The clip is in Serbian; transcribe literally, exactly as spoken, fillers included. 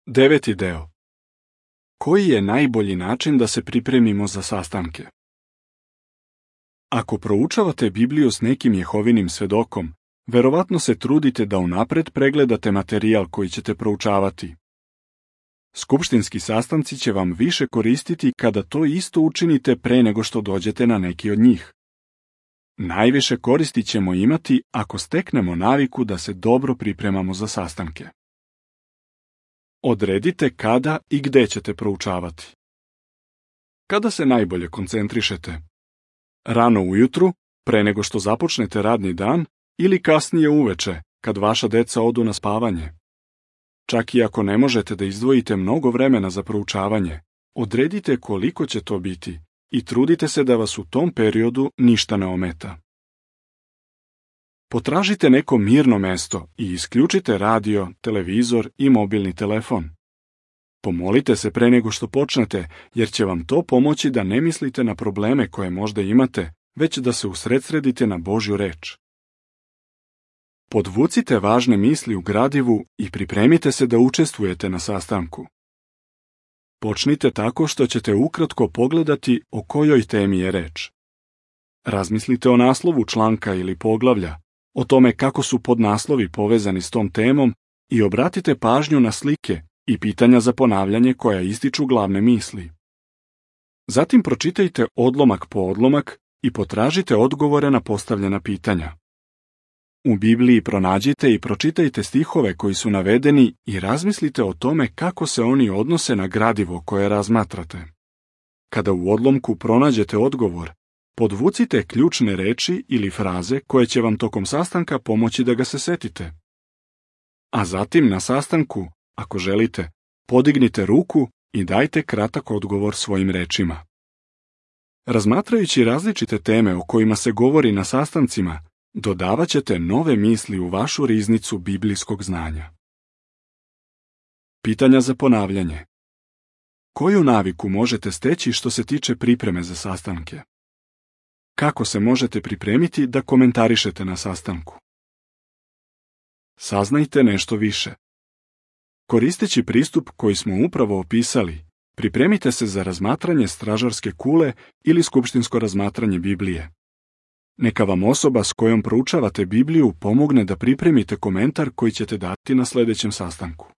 Deveti deo. Koji je najbolji način da se pripremimo za sastanke? Ako proučavate Bibliju s nekim Jehovinim svedokom, verovatno se trudite da unapred pregledate materijal koji ćete proučavati. Skupštinski sastanci će vam više koristiti kada to isto učinite pre nego što dođete na neki od njih. Najviše koristi ćemo imati ako steknemo naviku da se dobro pripremamo za sastanke. Odredite kada i gde ćete proučavati. Kada se najbolje koncentrišete? Rano ujutru, pre nego što započnete radni dan, ili kasnije uveče, kad vaša deca odu na spavanje? Čak i ako ne možete da izdvojite mnogo vremena za proučavanje, odredite koliko će to biti i trudite se da vas u tom periodu ništa ne ometa. Potražite neko mirno mesto i isključite radio, televizor i mobilni telefon. Pomolite se pre nego što počnete, jer će vam to pomoći da ne mislite na probleme koje možda imate, već da se usredsredite na Božju reč. Podvucite važne misli u gradivu i pripremite se da učestvujete na sastanku. Počnite tako što ćete ukratko pogledati o kojoj temi je reč. Razmislite o naslovu članka ili poglavlja, o tome kako su podnaslovi povezani s tom temom i obratite pažnju na slike i pitanja za ponavljanje koja ističu glavne misli. Zatim pročitajte odlomak po odlomak i potražite odgovore na postavljena pitanja. U Bibliji pronađite i pročitajte stihove koji su navedeni i razmislite o tome kako se oni odnose na gradivo koje razmatrate. Kada u odlomku pronađete odgovor, podvucite ključne reči ili fraze koje će vam tokom sastanka pomoći da ga se setite. A zatim na sastanku, ako želite, podignite ruku i dajte kratak odgovor svojim rečima. Razmatrajući različite teme o kojima se govori na sastancima, dodavat ćete nove misli u vašu riznicu biblijskog znanja. Pitanja za ponavljanje. Koju naviku možete steći što se tiče pripreme za sastanke? Kako se možete pripremiti da komentarišete na sastanku? Saznajte nešto više. Koristeći pristup koji smo upravo opisali, pripremite se za razmatranje stražarske kule ili skupštinsko razmatranje Biblije. Neka vam osoba s kojom proučavate Bibliju pomogne da pripremite komentar koji ćete dati na sljedećem sastanku.